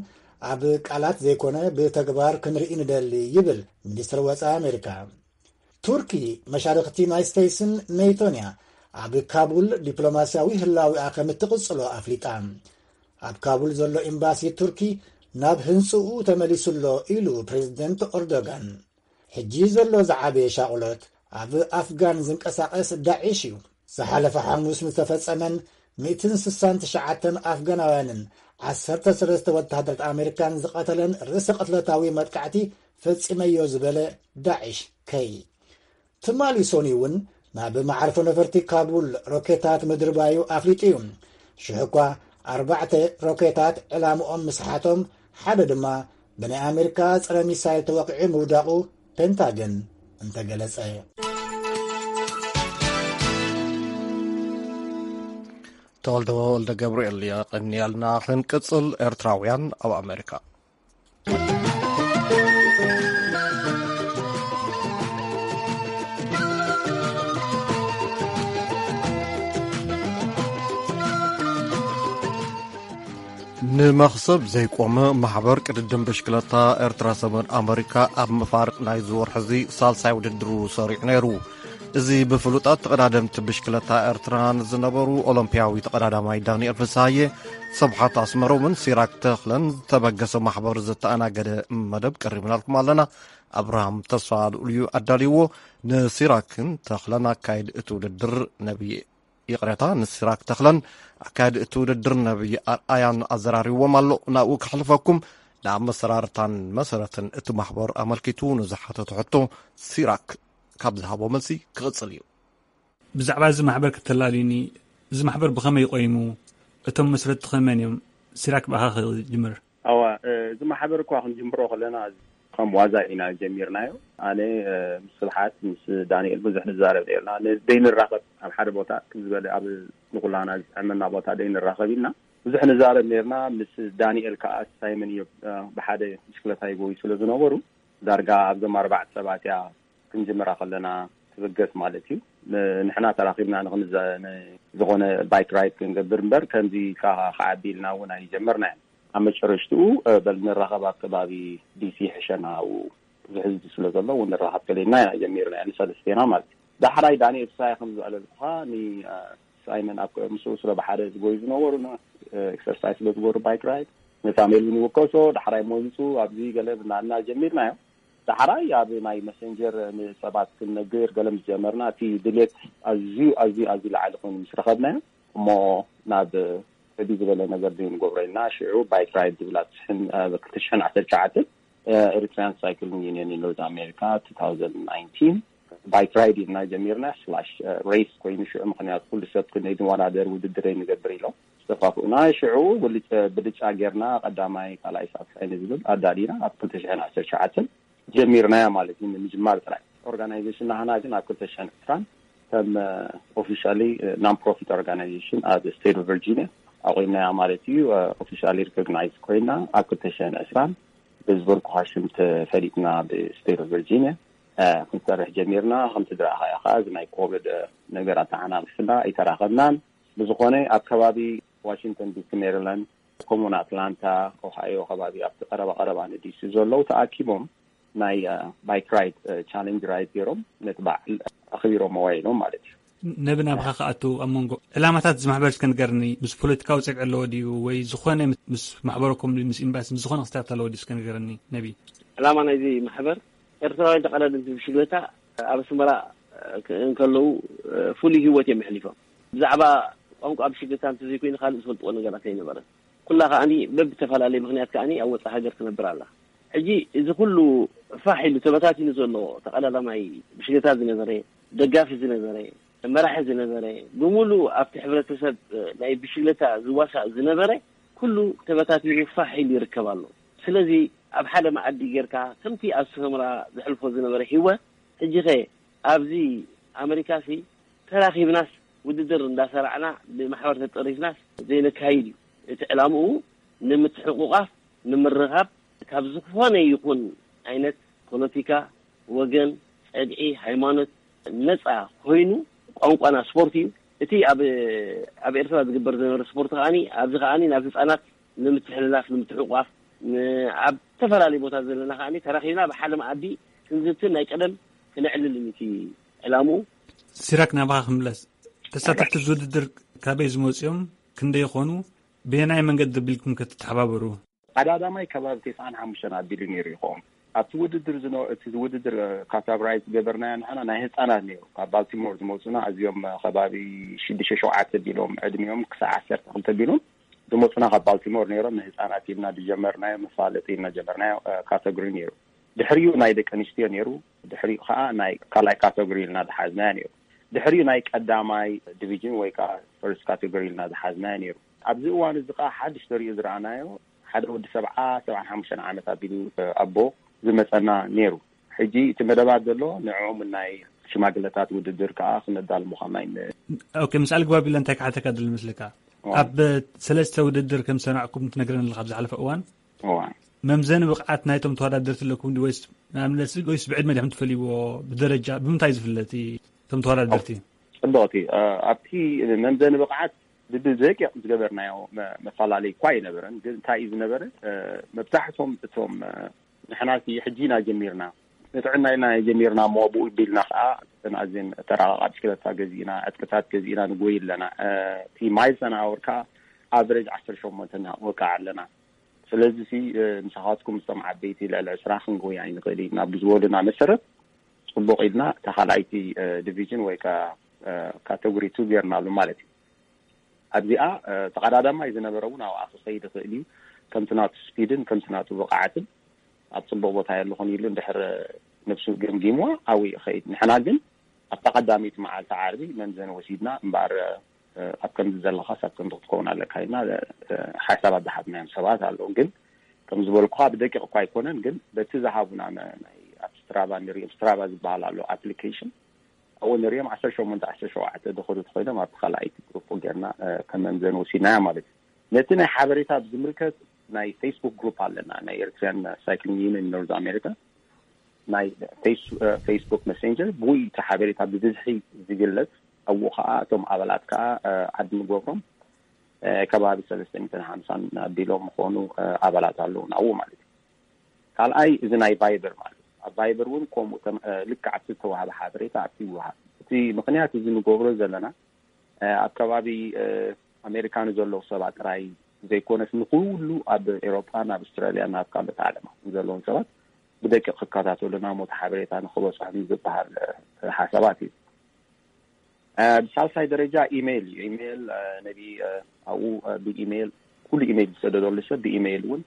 ኣብ ቃላት ዘይኮነ ብተግባር ክንርኢ ንደሊ ይብል ሚኒስትር ወጻኢ ኣሜሪካ። ቱርኪ መሻርኽቲ ዩናይትድ ስቴትስን ኔቶን እያ ኣብ ካቡል ዲፕሎማስያዊ ህላዊኣ ከም እትቕጽሎ ኣፍሊጣ። ኣብ ካቡል ዘሎ ኤምባሲ ቱርኪ ናብ ህንጽኡ ተመሊሱ ኣሎ ኢሉ ፕሬዝደንት ኦርዶጋን። ሕጂ ዘሎ ዝዓበየ ሻቕሎት ኣብ ኣፍጋን ዝንቀሳቐስ ዳዒሽ እዩ። ዝሓለፈ ሓሙስ ንዝተፈጸመን ሚእትን ስሳን ትሽዓተን ኣፍጋናውያንን ዓሰርተ ሰለስተ ወተሃደራት ኣሜሪካን ዝቐተለን ርእሰ ቅትለታዊ መጥቃዕቲ ፈጺመዮ ዝበለ ዳዒሽ ከይ ትማሊ ሶኒ እውን ናብ መዓርፎ ነፈርቲ ካቡል ሮኬታት ምድርባዩ ኣፍሊጡ እዩ። ሽሕ እኳ ኣርባዕተ ሮኬታት ዕላምኦም ምስሓቶም፣ ሓደ ድማ ብናይ ኣሜሪካ ጸረ ሚሳይል ተወቒዑ ምውዳቑ ፔንታገን እንተገለጸ። ተወልደ ወልደ ገብርኤል የቐንየልና። ክንቅጽል፣ ኤርትራውያን ኣብ ኣሜሪካ። ንመኽሰብ ዘይቆመ ማሕበር ቅድድም ብሽክለታ ኤርትራ ሰሜን ኣመሪካ ኣብ መፋርቕ ናይዚ ወርሒ እዚ ሳልሳይ ውድድሩ ሰሪዑ ነይሩ። እዚ ብፍሉጣት ተቐዳደምቲ ብሽክለታ ኤርትራ ንዝነበሩ ኦሎምፒያዊ ተቐዳዳማይ ዳንኤል ፍስሃየ፣ ሰብሓት ኣስመሮምን ሲራክ ተኽለን ዝተበገሰ ማሕበር ዝተኣናገደ መደብ ቀሪብናልኩም ኣለና። ኣብርሃም ተስፋ ልኡል እዩ ኣዳልይዎ። ንሲራክን ተኽለን ኣካይድ እቲ ውድድር ነብይ፣ ይቕሬታ፣ ንሲራክ ተኽለን ኣካይድ እቲ ውድድር ነብይ ኣርኣያን ኣዘራሪዎም ኣሎ። ናብኡ ከሕልፈኩም። ንኣመሰራርታን መሰረትን እቲ ማሕበር ኣመልኪቱ ንዝሓተቱ ሕቶ ሲራክ ካብ ዝሃቦ መልሲ ክቕጽል እዩ። ብዛዕባ እዚ ማሕበር ከተላልዩኒ፣ እዚ ማሕበር ብኸመይ ቆይሙ? እቶም መስረትቲ ከ መን እዮም? ሲራክ ብኣኻ ክጅምር። ኣዋ፣ እ፣ እዚ ማሕበር እኳ ክንጅምሮ ከለና ከም ዋዛ ኢና ጀሚርናዮ። ኣነ፣ እ፣ ምስ ስብሓት፣ ምስ ዳንኤል ብዙሕ ንዛረብ ነርና። ን-፣ ደይንራኸብ ኣብ ሓደ ቦታ፣ ከም ዝበለ ኣብ ንኩላና ዝጥዕመና ቦታ ደይንራኸብ ኢልና ብዙሕ ንዛረብ ነርና። ምስ ዳንኤል ከዓ ሳይመን እዮ ብሓደ ብሽክለታ ይጎዩ ስለ ዝነበሩ ዳርጋ ኣብዞም ኣርባዕተ ሰባት እያ ክንጅምራ ከለና ትብገስ ማለት እዩ። ንሕና ተራኺብና ዝኾነ ባይክ ራይድ ክንገብር እምበር ከምዚ ከዓ ክዓቢ ኢልና እውን ኣይጀመርና። ኣብ መጨረሽትኡ በል ንራኸብ ኣብ ከባቢ ዲሲ ሕሸና ኣብኡ ብዙሕ ህዝቢ ስለ ዘሎ እውን ንራኸብ ከለና ኢና ጀሚርና ንሰለስቴና ማለት እዩ። ዳሕራይ ዳንኤል ሳይ ከም ዘዕለልኩኻ ንሳይመን ኣብ ምስኡ ስለ ብሓደ ዝጎዩ ዝነበሩ ኤክሰርሳይዝ ስለ ዝገበሩ ባይክ ራይድ ነታ ሜልቪን ይውከሶ ዳሕራይ ሞይፁ ኣብዚ ገለ ብናልና ጀሚርና እዮም። ዳሕራይ ኣብ ናይ መሰንጀር ንሰባት ክንነግር ገለ ምስ ጀመርና እቲ ድሌት ኣዝዩ ኣዝዩ ኣዝዩ ላዕሊ ኮይኑ ምስ ረኸብናዮ እሞ ናብ ዕብይ ዝበለ ነገር ዘይንገብሮ ኢልና ሽዑ ባይክ ራይድ ዝብላ ትሽሕን ክልተ ሽሕን ዓሰርተ ትሽዓተ ኤሪትሪያን ሳይክሊንግ ዩኒየን ኖርዝ ኣሜሪካ two thousand nineteen ባይክ ራይድ ኢልና ጀሚርና ስላሽ ሬስ ኮይኑ ሽዑ ምክንያቱ ኩሉ ሰብ ክንይ ንወዳደር ውድድር ንገብር ኢሎም ዝተፋፍኡና ሽዑ ብልጫ ጌርና ቀዳማይ ካልኣይ ሳልሳይ ንዝብል ኣዳሊና ኣብ ክልተ ሽሕን ዓሰርተ ትሽዓተን ጀሚርናያ ማለት እዩ። ንምጅማር ጥራይ ኦርጋናይዜሽን ናህና ግን ኣብ ክልተ ሽሕን ዕስራን ከም ኦፊሻሊ ናን ፕሮፊት ኦርጋናይዜሽን ኣብ ስቴት ኦፍ ቨርጂኒያ ኣቑምናያ ማለት እዩ። ኦፊሻሊ ሪኮግናይዝ ኮይና ኣብ ክልተ ሽሕን ዕስራን ብዝበልኩኻ ሽም ተፈሊጥና ብስቴት ኦፍ ቨርጂኒያ ክንሰርሕ ጀሚርና። ከምቲ ዝረኣኻዮ ከዓ እዚ ናይ ኮቪድ ነገር ኣተዓናቒፍና ኣይተራኸብናን። ብዝኾነ ኣብ ከባቢ ዋሽንግተን ዲሲ፣ ሜሪላንድ፣ ከምኡውን ኣትላንታ፣ ኦሃዮ ከባቢ ኣብቲ ቀረባ ቀረባ ንዲሲ ዘለዉ ተኣኪቦም ናይ ባይክ ራይድ ቻሌንጅ ራይድ ገይሮም ነቲ በዓል ኣኽቢሮም ዋይሎም ማለት እዩ። ነቢ ናብኻ ክኣቱ ኣብ መንጎ ዕላማታት እዚ ማሕበር እስከ ንገርኒ። ምስ ፖለቲካዊ ጸግዒ ኣለዎ ድዩ ወይ ዝኾነ ምስ ማሕበረኩም ምስ ኤምባሲ ምስ ዝኾነ ክስታያት ኣለዎ ድዩ እስከ ንገርኒ ነቢ። ዕላማ ናይዚ ማሕበር ኤርትራውያን ተቐዳደምቲ ብሽግለታ ኣብ ኣስመራ እንከለዉ ፍሉይ ህይወት እዮም ኣሕሊፎም። ብዛዕባ ቋንቋ ብሽግለታ እንተዘይኮይኑ ካልእ ዝፈልጥዎ ነገራት ኣይነበረን። ኩላ ከዓኒ በብተፈላለየ ምክንያት ከዓኒ ኣብ ወፃእ ሃገር ትነብር ኣላ። ሕጂ እዚ ኩሉ ፋሕ ኢሉ ተበታቲኑ ዘሎ ተቐዳዳማይ ብሽግለታ ዝነበረ፣ ደጋፊ ዝነበረ፣ መራሒ ዝነበረ፣ ብምሉእ ኣብቲ ሕብረተሰብ ናይ ብሽግለታ ዝዋሳእ ዝነበረ ኩሉ ተበታቲኑ ፋሕ ኢሉ ይርከብ ኣሎ። ስለዚ ኣብ ሓደ መኣዲ ጌርካ ከምቲ ኣብ ሰመራ ዘሕልፎ ዝነበረ ህይወት ሕጂ ኸ ኣብዚ ኣመሪካ ሲ ተራኺብናስ ውድድር እንዳሰራዕና ብማሕበር ተጠሪፍናስ ዘይነካይድ እዩ። እቲ ዕላምኡ ንምትሕቑቓፍ፣ ንምርኻብ፣ ካብ ዝኾነ ይኹን ዓይነት ፖለቲካ፣ ወገን፣ ጸግዒ፣ ሃይማኖት ነጻ ኮይኑ ቋንቋና ስፖርት እዩ። እቲ ኣብ ኣብ ኤርትራ ዝግበር ዝነበረ ስፖርት ከዓኒ ኣብዚ ከዓኒ ናብ ህጻናት ንምትሕልላፍ፣ ንምትሕቑቓፍ፣ ን- ኣብ ዝተፈላለዩ ቦታ ዘለና ከዓኒ ተራኺብና ብሓደ መኣዲ ክንዝትን ናይ ቀደም ክነዕልልን እዩ እቲ ዕላምኡ። ሲራክ ናባኻ ክምለስ። ተሳተፍቲ እዚ ውድድር ካበይ ዝመፁ እዮም? ክንደይ ይኾኑ? ብየናይ መንገዲ ኣቢልኩም ክትተሓባበሩ? ቀዳዳማይ ከባቢ ተስዓን ሓሙሽተን ኣቢሉ ነይሩ ይኸውን። ኣብቲ ውድድር ዝነ- እቲ ውድድር ካታጎራይዝ ዝገበርናዮ ንሕና ናይ ህፃናት ነይሩ። ካብ ባልቲሞር ዝመፁና ኣዝዮም ከባቢ ሽዱሽተ ሸውዓተ ቢሎም ዕድሚኦም ክሳዕ ዓሰርተ ክልተ ቢሎም ዝመፁና ካብ ባልቲሞር ነይሮም። ንህፃናት ኢልና ዝጀመርናዮ መፋለጢ ኢልና ጀመርናዮ ካተጎሪ ነይሩ። ድሕሪኡ ናይ ደቂ ኣንስትዮ ነይሩ። ድሕሪኡ ከዓ ናይ ካልኣይ ካተጎሪ ኢልና ዝሓዝናዮ ነይሩ። ድሕሪኡ ናይ ቀዳማይ ዲቪዥን ወይ ከዓ ፈርስት ካተጎሪ ኢልና ዝሓዝናዮ ነይሩ። ኣብዚ እዋን እዚ ከዓ ሓድሽ ተሪኡ ዝረኣናዮ ሓደ ወዲ ሰብዓ ሰብዓን ሓሙሽተን ዓመት ኣቢሉ ኣቦ ዝመፀና ነይሩ። ሕጂ እቲ መደባት ዘሎ ንዕኦም ናይ ሽማግለታት ውድድር ከዓ ክነዳልሞ ከማይ ን- ኦኬ፣ ምስኣል ግባብ ኢለ እንታይ ክሓተካ ድል ምስልካ? እዋ። ኣብ ሰለስተ ውድድር ከም ዝሰናዕኩም ትነግረን ኣለካ ኣብ ዝሓለፈ እዋን። እዋ። መምዘኒ ብቕዓት ናይቶም ተወዳደርቲ ኣለኩም ድዩ ወይስ ንኣብነት ወይስ ብዕድመ ዲኹም ትፈልይዎ? ብደረጃ ብምንታይ ዝፍለጥ እዩ እቶም ተወዳደርቲ? ጽቡቕቲ ኣብቲ መምዘኒ ብቕዓት ብደቂቕ ዝገበርናዮ መፈላለይ እኳ ኣይነበረን። ግን እንታይ እዩ ዝነበረ? መብዛሕቶም እቶም ንሕና ሕጂ ኢና ጀሚርና፣ ንጥዕና ኢና ጀሚርና እሞ ብኡ ቢልና ከዓ እተን ኣዝየን ተራቃቃ ብሽክለታ ገዚእና፣ ዕጥቅታት ገዚእና ንጎይ ኣለና። እቲ ማይልስ ኣን ኣወር ከዓ ኣቨሬጅ ዓሰርተ ሸሞንተ ንወቅዕ ኣለና። ስለዚ ሲ ንስኻትኩም ምስቶም ዓበይቲ ልዕሊ ዕስራ ክንጎይ ኣይንኽእል ኢና ብዝበሉና መሰረት፣ ፅቡቕ ኢልና እታ ካልኣይቲ ዲቪዥን ወይ ከዓ ካተጎሪ ቱ ጌርናሉ ማለት እዩ። ኣብዚኣ ተቐዳዳማይ ዝነበረ እውን ኣብኣ ክኸይድ ይኽእል እዩ። ከምቲ ናቱ ስፒድን ከምቲ ናቱ ብቕዓትን ኣብ ፅቡቕ ቦታ የለኹን ኢሉ እንድሕር ነብሱ ገምጊምዋ ኣብኡ ይኸይድ። ንሕና ግን ኣብታ ቀዳመይቲ መዓልቲ ዓርቢ መምዘኒ ወሲድና እምበኣር ኣብ ከምዚ ዘለኻስ ኣብ ከምዚ ክትከውን ኣለካ ኢልና ሓሳባት ዝሃብናዮም ሰባት ኣለዉ። ግን ከም ዝበልኩኻ ብደቂቕ እኳ ኣይኮነን፣ ግን በቲ ዝሃቡና ናይ ኣብ ስትራቫ ንሪኦም፣ ስትራቫ ዝበሃል ኣሎ ኣፕሊኬሽን ኣብኡ ንሪኦም ዓሰርተ ሸሞንተ ዓሰርተ ሸውዓተ ዝኸዱ ተኾይኖም ኣብቲ ካልኣይቲ ግሩፕ ጌርና ከም መምዘኒ ወሲድናያ ማለት እዩ። ነቲ ናይ ሓበሬታ ብዝምልከት ናይ ፌስቡክ ግሩፕ ኣለና፣ ናይ ኤርትራን ሳይክሊንግ ዩኒየን ኖርዝ ኣሜሪካ። ናይ ፌስ- እ፣ ፌስቡክ መሴንጀር፣ ብኡ እቲ ሓበሬታ ብብዝሒ ዝግለጽ። ኣብኡ ከዓ እቶም ኣባላት ከዓ እ፣ ኣድ ንገብሮም። እ፣ ከባቢ ሰለስተ ሚእትን ሓምሳን ኣቢሎም ምኾኑ እ፣ ኣባላት ኣለዉ ናብኡ ማለት እዩ። ካልኣይ፣ እዚ ናይ ቫይበር ማለት እዩ። ኣብ ቫይበር እውን ከምኡ ተም- እ፣ ልክዕ ኣብቲ ዝተዋህበ ሓበሬታ ኣብቲ ይወሃብ። እቲ ምኽንያት እዚ ንገብሮ ዘለና እ፣ ኣብ ከባቢ እ፣ ኣሜሪካ ንዘለዉ ሰባት ጥራይ ዘይኮነስ፣ ንኩሉ ኣብ ኤሮጳን ኣብ ኣውስትራልያን ኣብ ካልኦት ዓለማት ዘለዎም ሰባት ብደቂቕ ክከታተሉና፣ ሞት ሓበሬታ ንክበፅሖም ዝበሃል እ፣ ሓሳባት እዩ። እ፣ ብሳልሳይ ደረጃ ኢሜይል እዩ። ኢሜይል እ፣ ነቢ እ፣ ኣብኡ እ፣ ብኢሜይል፣ ኩሉ ኢሜይል ዝሰደደሉ ሰብ ብኢሜይል እውን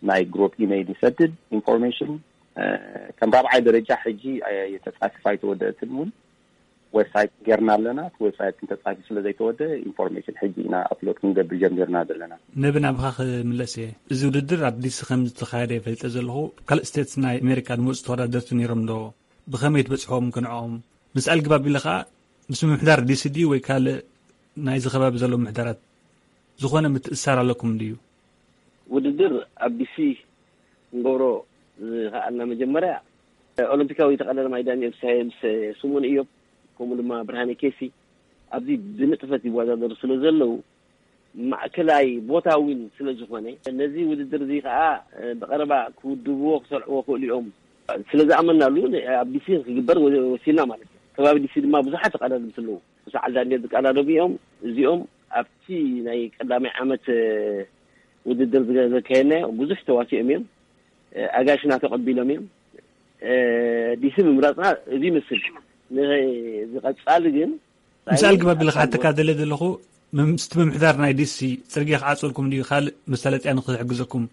ናይ ግሩፕ ኢሜይል ይሰድድ። ኢንፎርሜሽን እ፣ ከም ራብዓይ ደረጃ ሕጂ እ፣ ተፃፊፋ ኣይተወደእትን እውን ዌብሳይት ጌርና ኣለና። እቲ ዌብሳይት እንተፃፊ ስለ ዘይተወደ፣ ኢንፎርሜሽን ሕጂ ኢና ኣፕሎድ ክንገብር ጀሚርና ዘለና። ነቢ፣ ናብኻ ክምለስ እየ። እዚ ውድድር ኣብ ዲሲ ከም ዝተኻየደ ይፈልጠ ዘለኹ። ካልእ ስቴትስ ናይ ኣሜሪካ ዝመፁ ተወዳደርቲ ነይሮም ዶ? ብኸመይ ትበፅሖም ክንዕኦም? ምስ ኣልግባብ ኢለ ከዓ ምስ ምምሕዳር ዲሲ ድዩ ወይ ካልእ ናይዚ ከባቢ ዘሎ ምምሕዳራት ዝኾነ ምትእሳር ኣለኩም ድዩ? ውድድር ኣብ ዲሲ ክንገብሮ ዝኸኣልና፣ መጀመርያ ኦሎምፒካዊ ተቐዳዳማይ ዳንኤል ፍስሃየ ምስ ስሙን እዮም፣ ከምኡ ድማ ብርሃነ ኬሲ ኣብዚ ብንጥፈት ይወዳደሩ ስለ ዘለዉ፣ ማእከላይ ቦታ እውን ስለ ዝኾነ፣ ነዚ ውድድር እዚ ከዓ ብቐረባ ክውድብዎ ክሰርዕዎ ክእሉ እዮም ስለ ዝኣመናሉ፣ ኣብ ዲሲ ክግበር ወ- ወሲና ማለት እዩ። ከባቢ ዲሲ ድማ ብዙሓት ተቐዳደምቲ ኣለዉ። ምስ በዓል ዳንኤል ዝቀዳደሙ እዮም። እዚኦም ኣብቲ ናይ ቀዳማይ ዓመት ውድድር ዝገ- ዘካየድናዮ ብዙሕ ተዋሲኦም እዮም። ኣጋሽና ተቐቢሎም እዮም። ዲሲ ምምራፅና እዚ ይመስል። ንዝቐፃሊ ግን ምስ ኣልግባብ ኢለ ክሓተካ ደለ ዘለኹ፣ ምስቲ ምምሕዳር ናይ ዲሲ ፅርግያ ክዓፅልኩም ድዩ? ካልእ መሳለጥያ ንክሕግዘኩም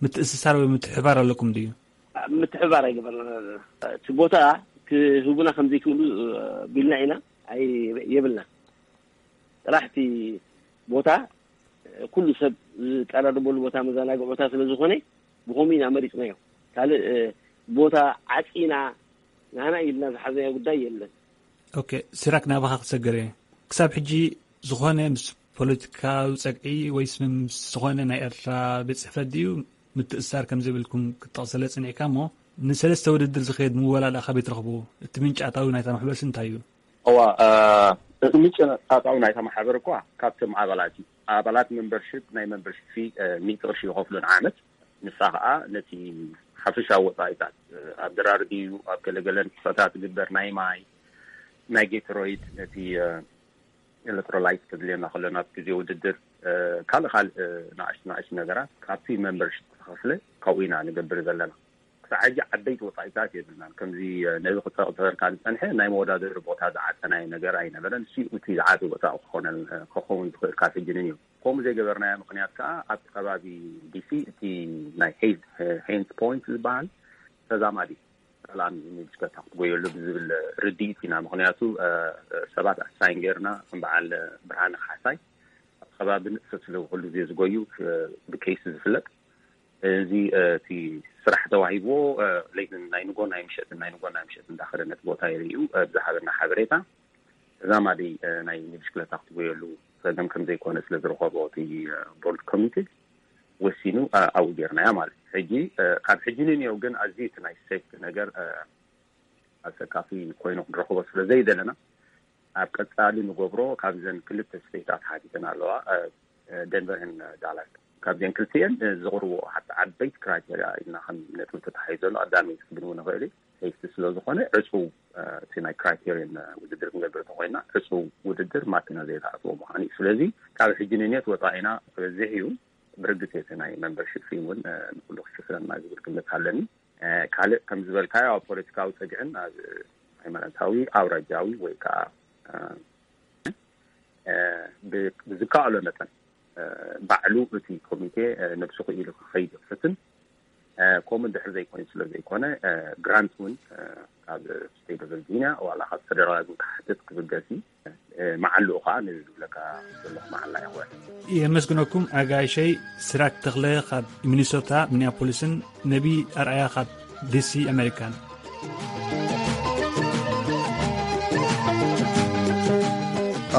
ምትእስሳር ወይ ምትሕባር ኣለኩም ድዩ? ምትሕባር ኣይገበርና። እቲ ቦታ ክህቡና ከም ዘይክእሉ ቢልና ኢና፣ ኣይ የብልና። ጥራሕ እቲ ቦታ ኩሉ ሰብ ዝቀራረበሉ ቦታ መዘናግዒ ቦታ ስለ ዝኾነ ብኸምኡ ኢና መሪፅናዮ። ካልእ ቦታ ዓፂና ናህና ኢልና ዝሓዝናዮ ጉዳይ የለን። ኦኬ፣ ሲራክ፣ ናባኻ ክሰገር እየ። ክሳብ ሕጂ ዝኾነ ምስ ፖለቲካዊ ጸግዒ ወይስ ምስ ዝኾነ ናይ ኤርትራ ቤት ጽሕፈት ድዩ ምትእስሳር ከም ዘይብልኩም ክትጠቕሰለ ጽኒዕካ እሞ፣ ንሰለስተ ውድድር ዝኸየድ ምወላዳ ካበይ ትረኽቡ? እቲ ምንጪ ኣታዊ ናይታ ማሕበርሲ እንታይ እዩ? እዋ፣ እ፣ እቲ ምንጪ ኣታዊ ናይታ ማሕበር እኳ ካብቶም ኣባላት እዩ። ኣባላት መምበርሽፕ ናይ መምበርሽፕ ፊ፣ እ፣ ሚእቲ ቅርሺ ይኸፍሉ ንዓመት። ንሳ ኸኣ ነቲ ሓፈሻዊ ወጻኢታት፣ እ፣ ኣብ ድራር ድዩ፣ ኣብ ገለገለ ንጥፈታት ዝግበር ናይ ማይ፣ ናይ ጌትሮይድ፣ ነቲ፣ እ፣ ኤሌክትሮላይት ከድልየና ከሎ ናብ ግዜ ውድድር፣ እ፣ ካልእ ካልእ ንኣሽቱ ንኣሽቱ ነገራት ካብቲ መምበርሽፕ ዝተኸፍለ ካብኡ ኢና ንገብር ዘለና። ክሳዕ ሕጂ ዓበይቲ ወጻኢታት የብልናን። ከምዚ፣ እ፣ ነዚ ክጠቕሰልካ ዝጸንሐ ናይ መወዳደሪ ቦታ ዝዓጸናዮ ነገር ኣይነበረን። እሱ እቲ ዝዓቢ ወጻኢ ክኾነል-፣ ክኸውን ዝኽእል ካብ ሕጂ ንንየው። ከምኡ ዘይገበርናዮ ምኽንያት ከኣ ኣብቲ ከባቢ ዲሲ እቲ ናይ ሄይዝ-፣ ሄይንስ ፖይንት ዝበሃል ተዛማዲ ሰላም እዩ፣ ንብሽከታ ክትጎየሉ ብዝብል ርድኢት ኢና። ምኽንያቱ፣ እ፣ ሰባት ኣሳይን ጌርና፣ ከም በዓል ብርሃነ ካሕሳይ ኣብ ከባቢ ንእሰ ስለ ኩሉ ግዜ ዝጎዩ፣ እ፣ ብኬስ ዝፍለጥ። እዚ፣ እ፣ እቲ ስራሕ ተዋሂብዎ፣ እ፣ ለይትን ናይ ንጎ ናይ ምሸትን ናይ ንጎ ናይ ምሸትን እንዳኸደ ነቲ ቦታ የርእዩ፣ እ፣ ብዝሃበና ሓበሬታ። ተዛማዲ፣ እ፣ ናይ ንብሽክለታ ክትጎየሉ ጸገም ከም ዘይኮነ ስለ ዝረኸቦ እቲ፣ እ፣ ቦርድ ኮሚቴ ወሲኑ፣ እ፣ ኣብኡ ጌርናያ ማለት እዩ። ሕጂ፣ እ፣ ካብ ሕጂ ንንየው ግን ኣዝዩ እቲ ናይ ሴፍቲ ነገር፣ እ፣ ኣሰካፊ ኮይኑ ክንረኽቦ ስለ ዘይደለና፣ ኣብ ቀጻሊ ንገብሮ ካብዘን ክልተ ስቴታት ሓቲተን ኣለዋ፣ እ፣ እ፣ ደንቨርን ዳላስ። ካብዘን ክልቲኤን፣ እ፣ ዝቕርቦ ሓቲ ዓበይቲ ክራይቴርያ ኢልና ከም ነጥቢ ተታሒዞ ዘሎ፣ ኣዳሚ ክብንው ንኽእል እዩ። ሴፍቲ ስለ ዝኾነ ዕጹው፣ እ፣ እቲ ናይ ክራይቴሪየን፣ እ፣ ውድድር ክንገብር እንተኾይና፣ ዕጹው ውድድር ማኪና ዘይትኣትዎ ምዃኑ እዩ። ስለዚ ካብ ሕጂ ንኔት ወጻኢና ክበዝሕ እዩ። ብርግጽ እቲ ናይ መምበርሺፕ ፊ እውን፣ እ፣ ንኩሉ ክሽፍነልና ዝብል ግምት ኣለኒ። እ፣ ካልእ ከም ዝበልካዮ ኣብ ፖለቲካዊ ጸግዕን ኣብ ሃይማኖታዊ፣ ኣውራጃዊ ወይ ከዓ፣ እ፣ እ፣ ብ-፣ ብዝከኣሎ መጠን፣ እ፣ ባዕሉ እቲ ኮሚቴ፣ እ፣ ነብሱ ክኢሉ ክኸይድ ይኽፍትን፣ እ፣ ከምኡ እንድሕር ዘይኮይኑ ስለ ዘይኮነ፣ እ፣ ግራንት እውን፣ እ፣ ካብ ስቴት ኦፍ ቨርጂኒያ ዋላ ካብ ፌደራል እውን ክሓትት ክብገስ እዩ። እ፣ መዓልኡ ከዓ ነዚ ዝብለካ ዘለኹ መዓላ ይኽወል። የመስግነኩም ኣጋይሸይ። ስራክ ተኽለ ካብ ሚኒሶታ ሚኒያፖሊስን ነቢ ኣርኣያ ካብ ዲሲ ኣሜሪካን።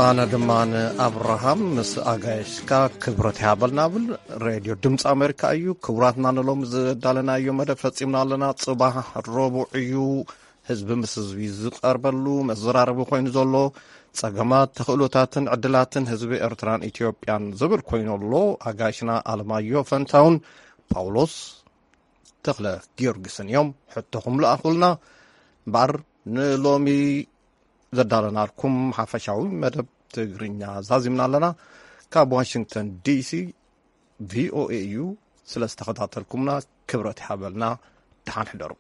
ኣነ ድማ ንኣብርሃም ምስ ኣጋይሽካ ክብረት ይሃበልና ብል። ሬድዮ ድምፂ ኣሜሪካ እዩ። ክቡራትና፣ ንሎም ዘዳለናዮ መደብ ፈፂምና ኣለና። ፅባሕ ረቡዕ እዩ። ህዝቢ ምስ ህዝቢ ዝቐርበሉ መዘራረቢ ኮይኑ ዘሎ፣ ፀገማት፣ ተኽእሎታትን ዕድላትን ህዝቢ ኤርትራን ኢትዮጵያን ዝብል ኮይኑ ኣሎ። ኣጋይሽና ኣለማዮ ፈንታውን ፓውሎስ ተኽለ ጊዮርጊስን እዮም ሕቶኹም ለኣኹልና። እምበኣር ንሎሚ ዘዳለናልኩም ሓፈሻዊ መደብ ትግርኛ ዛዚምና ኣለና። ካብ ዋሽንግተን ዲሲ ቪኦኤ እዩ። ስለ ዝተኸታተልኩምና ክብረት ይሃበልና። ደሓን ሕደሩ።